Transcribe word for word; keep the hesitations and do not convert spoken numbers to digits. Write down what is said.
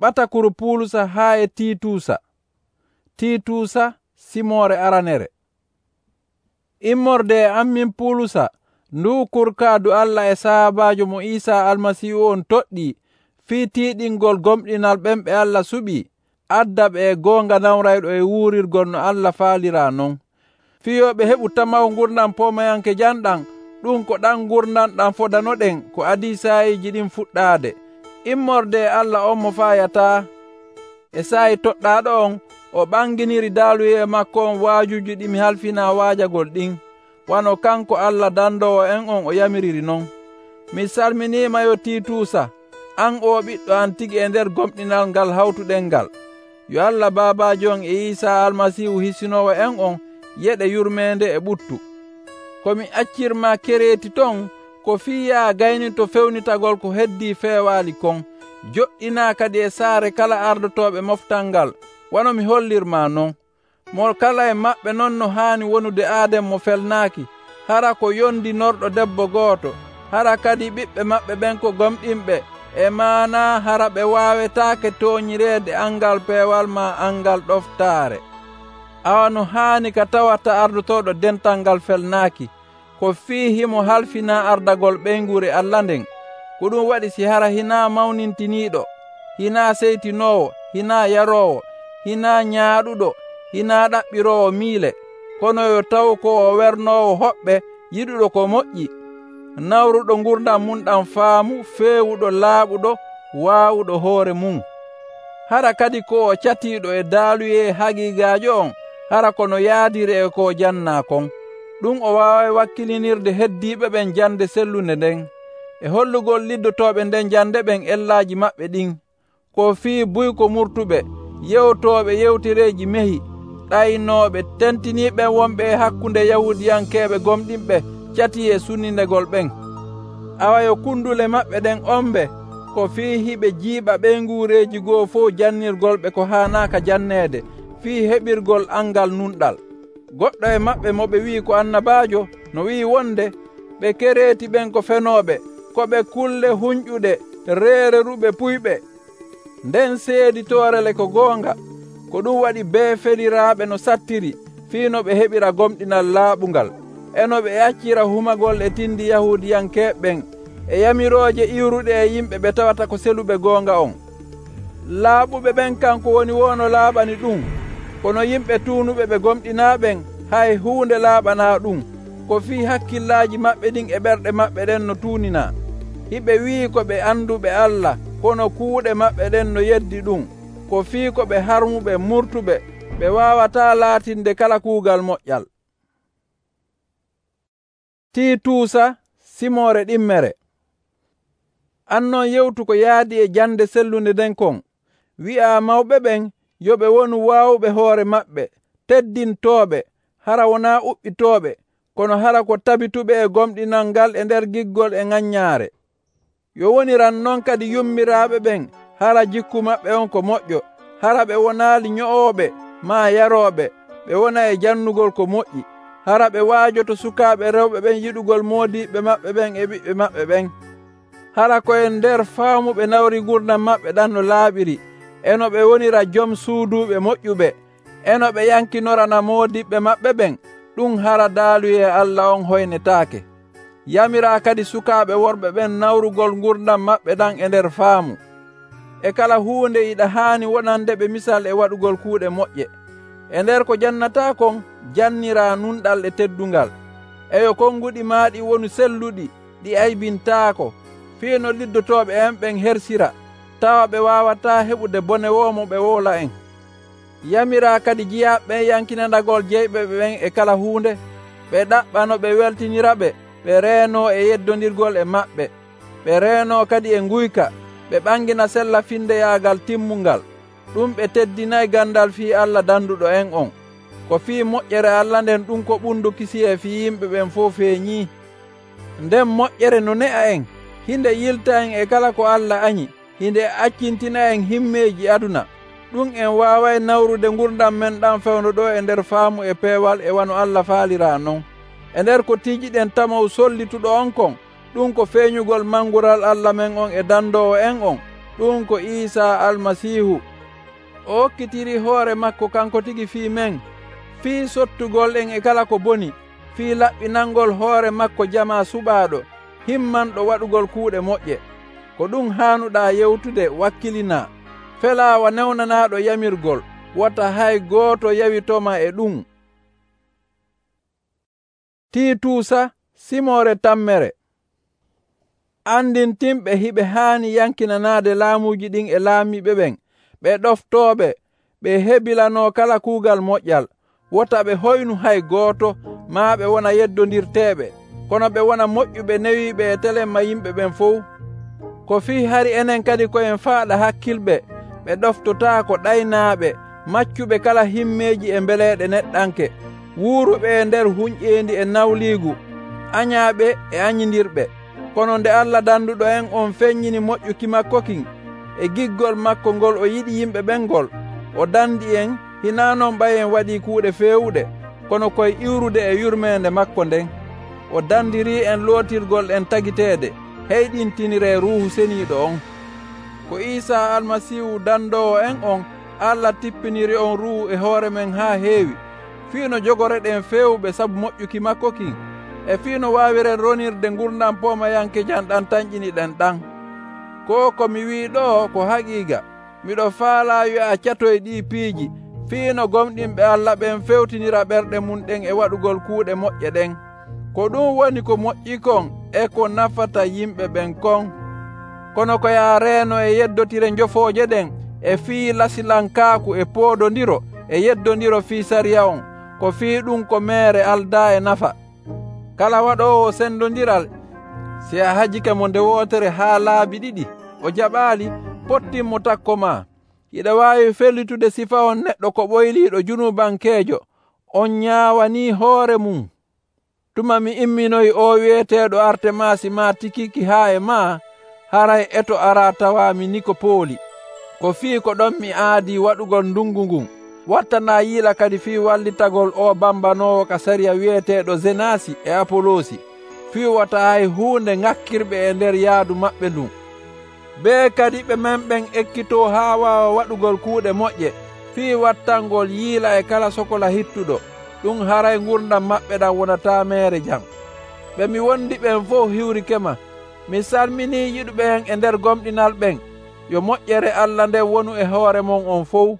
Ɓatakuru Puulusa haa e Tiituusa. Tiituusa simoore aranere. Immorde e am min Puulusa, nduu kurkaadu Allah e sahabaajo mo Iisaa Almasiihu on toɗɗii fii tiiɗingol gomɗinal ɓen ɓe Allah suɓii, adda ɓe e goonga nawrayɗo e wuurirgol no Allah faaliraa non. Fiyooɓe heɓu tamaw gurdam pomayanke janɗam, ɗum ko ɗam gurdam ɗam fodanoɗen ko adii saayiiji ɗin fuɗɗaade. Immorde e Allah on mo faayataa e saayi toɗɗaaɗo on o ɓanginiri daaluye makko on waajuuji ɗi mi halfinaa waajagol ɗin, wano kanko Allah dandoowo en on o yamiriri non. Mi salminiima yo Tiituusa, an oo ɓiɗɗo am tigi e nder gomɗinal ngal hawtuɗen ngal. Yo Allah Baabaajo on e Iisaa Almasiihu hisinoowo en on yeɗe yurmeende e ɓuttu. Ko mi accirmaa Kereeti ton ko fii yaa gayni to fewnitagol ko heddii feewaali kon, joɗɗinaa kadi e saare kala ardotooɓe moftal ngal, wano mi hollirmaa non. Mo kala e maɓɓe non no haani wonude Aadam mo felnaaki, hara ko yondinorɗo debbo gooto, hara kadi ɓiɓɓe maɓɓe ɓen ko gomɗinɓe, e maana hara ɓe waawetaake tooñireede angal peewal maa angal ɗoftaare. Awa no haani ka tawata ardotooɗo dental ngal felnaaki, ko fii himo halfinaa ardagol ɓeygure Allah nden. Ko ɗum waɗi si hara hinaa mawnintiniiɗo, hinaa seytinoowo, hinaa yaroowo, hinaa nyaaɗuɗo, hinaa ɗaɓɓiroowo miile, kono yo taw ko o wernoowo hoɓɓe, yiɗuɗo ko moƴƴi, nawruɗo gurdam mum ɗam faamu, feewuɗo, laaɓuɗo, waawuɗo hoore mum. Hara kadi ko o catiiɗo e daaluye hagiigaajo on, hara kono yaadiri e ko jannaa kon. Ɗum o waaway wakkilinirde heddiiɓe ɓen jande sellunde nden, e hollugol liddotooɓe nden jande ɓen ellaaji maɓɓe ɗin, ko fii buyko murtuɓe, yewtooɓe yewtereeji mehi, ɗaynooɓe, tentiniiɓe wonɓe e hakkunde Yahuudiyankeeɓe gomɗinɓe cati e sunnindegol ɓen. Awa yo kundule maɓɓe ɗen ombe, ko fii hiɓe jiiɓa ɓeyguureeji goo fof jannirgolɓe ko haanaaka janneede, fii heɓirgol angal nunɗal. Goɗɗo e maɓɓe mo ɓe wi'i ko annabaajo, no wi'i wonde, ɓe Kereeti ɓen ko fenooɓe, ko ɓe kulle huñƴuɗe, reereruɓe puyɓe. Nden seeditoorele ko goonga, ko ɗum waɗi bee feliraaɓe no sattiri, fii no ɓe heɓira gomɗinal laaɓungal, eno ɓe accira humagol e tindi Yahuudiyankeeɓe ɓen, e yamirooje iwruɗe e yimɓe ɓe tawata ko seluɓe goonga on. Laaɓuɓe ɓen kanko woni wono laaɓani ɗum, kono yimɓe tuunuɓe ɓe gomɗinaaɓen hay huunde laaɓanaa ɗum, ko fii hakkillaaji maɓɓe ɗin e ɓerɗe maɓɓe ɗen no tuuninaa. Hiɓe wi'i ko ɓe anduɓe Allah, kono kuuɗe maɓɓe ɗen no yeddi ɗum, ko fii ko ɓe harmuɓe murtuɓe, ɓe waawataa laatinde kala kuugal moƴƴal. Tiituusa simoore ɗimmere. An non yewtu ko yaadi e jande sellunde nden kon, wi'aa mawɓe ɓen yo ɓe wonu waawuɓe hoore maɓɓe, teddintooɓe, hara wonaa uɓɓitooɓe, kono hara ko tabituɓe e gomɗinal ngal e nder giggol e ŋannyaare. Yo woniran noon kadi yummiraaɓe ɓen, hara jikku maɓɓe on ko moƴƴo, hara ɓe wonaali nyo'ooɓe maa yarooɓe, ɓe wona e jannugol ko moƴƴi, hara ɓe waajoto sukaaɓe rewɓe ɓen yiɗugol moodiɓɓe maɓɓe ɓen e ɓiɓɓe maɓɓe ɓen. Hara koye nder faamu ɓe nawri gurdam maɓɓe ɗam no laaɓiri, eno ɓe wonira jom suuduuɓe moƴƴuɓe, eno ɓe yankinorana moodiɓɓe maɓɓe ɓen, ɗum hara daaluye Allah on hoynetaake. Yamiraa kadi sukaaɓe worɓe ɓen nawrugol gurdam maɓɓe ɗam e nder faamu. E kala huunde iɗa haani wonande ɓe misal e waɗugol kuuɗe moƴƴe. E nder ko jannataa kon, janniraa nunɗal e teddungal. Eyo konnguɗi maaɗi wonu selluɗi, ɗi aybintaako, fii no liddotooɓe en ɓen hersira, tawa ɓe waawataa heɓude bone woomo ɓe woola en. Yamiraa kadi jiyaaɓe ɓen yankinanagol jeyɓe ɓen e kala huunde, ɓe ɗaɓɓano ɓe weltiniraɓe, ɓe reenoo e yeddondirgol e maɓɓe, ɓe reenoo kadi e nguyka, ɓe ɓangina sella findeyaagal timmungal. Ɗum ɓe teddinayi gandal fii Allah danduɗo en on, ko fii moƴƴere Allah nden ɗum ko ɓundu kisiye fii yimɓe ɓen fof feeñii. Nden moƴƴere no ne'a en, hinde yilta en e kala ko Allah añi, hinde accintina en himmeeji aduna. Ɗum en waaway nawrude gurdam men ɗam fewno ɗo e nder faamu e peewal e wano Allah faaliraa non. E nder ko tiijiɗen tamaw sollituɗo on kon, ɗum ko feeñugol mangural Allah men on e dandoowo en on, ɗum ko Iisaa Almasiihu. O hokkitiri hoore makko kanko tigi fii men, fii sottugol en e kala ko boni, fii laɓɓinangol hoore makko jama suɓaaɗo, himmanɗo waɗugol kuuɗe moƴƴe. Ko ɗum haanuɗaa yewtude wakkilinaa. Felaawa newnanaaɗo yamirgol, wata hay gooto yawitoma e ɗum. Tiituusa simoore tammere. Andintinɓe hiɓe haani yankinanaade laamuuji ɗin e laamiiɓe ɓen, ɓe ɗoftooɓe, ɓe hebilanoo kala kuugal moƴƴal, wota ɓe hoynu hay gooto, maa ɓe wona yeddondirteeɓe, kono ɓe wona moƴƴuɓe newiiɓe e telemma yimɓe ɓen fof. Ko fii hari enen kadi ko'en faaɗa hakkilɓe, ɓe ɗoftotaako ɗaynaaɓe, maccuɓe kala himmeeji e mbeleeɗe neɗɗanke, wuuruɓe e nder huñƴeendi e nawliigu, añaaɓe e añindirɓe. Kono nde Allah danduɗo en on feññini moƴƴuki makko kin e giggol makko ngol o yiɗi yimɓe ɓen ngol, o dandi en hinaa non ɓayen waɗii kuuɗe feewuɗe, kono koye iwrude e yurmeende makko nden. O dandirii en lootirgol en tagiteede, heyɗintiniree Ruuhu Ceniiɗo on. Ko Iisaa Almasiihu dandoowo en on, Allah tippiniri on Ruuhu e hoore men haa heewi, fii no jogoreɗen feewɓe sabu moƴƴuki makko kin, e fii no waawiren ronirde gurdam poomayankejan ɗam tan ƴiniɗen ɗam. Ko ko mi wii ɗo ko haqiiqa. Miɗo faalaa wi'a catoy ɗii piiji, fii no gomɗinɓe Allah ɓen fewtinira ɓerɗe mum ɗen e waɗugol kuuɗe moƴƴe ɗen. Ko ɗum woni ko moƴƴi kon e ko nafata yimɓe ɓen kon. Kono ko yaa reeno e yeddotire njofooje ɗen e fii lasilankaaku e poodondiro e yeddondiro fii sariya on, ko fii ɗum ko meere aldaa e nafa. Kala waɗoowo sendondiral, si a hajike mo nde wootere haa laabi ɗiɗi, o jaɓaali, pottinmo takko maa. Iɗa waawi fellitude sifa on neɗɗo ko ɓoyliiɗo junubankeejo, on ñaawanii hoore mum. Tuma mi imminoyi o wi'eteeɗo Artemaasi maa Tikiki haa e maa, haray eto araa tawaami Nikopooli. Ko fii ko ɗon mi aadii waɗugol ndungu ngun. Wattanaa yiila kadi fii wallitagol o bambanoowo ka sariya wi'eteeɗo Zenaasi e Apoloosi, fii wata hay huunde ŋakkirɓe e nder yaadu maɓɓe ndun. Bee kadi ɓe men ɓen ekkitoo haa waawa waɗugol kuuɗe moƴƴe, fii wattangol yiila e kala sokola hittuɗo, ɗum haray ngurdam maɓɓe ɗam wonataa meere jam. Ɓe mi wondi ɓen fof hiwrikema. Mi salminii yiɗuɓe en e nder gomɗinal ɓen. Yo moƴƴere Allah nden wonu e hoore mon on fof.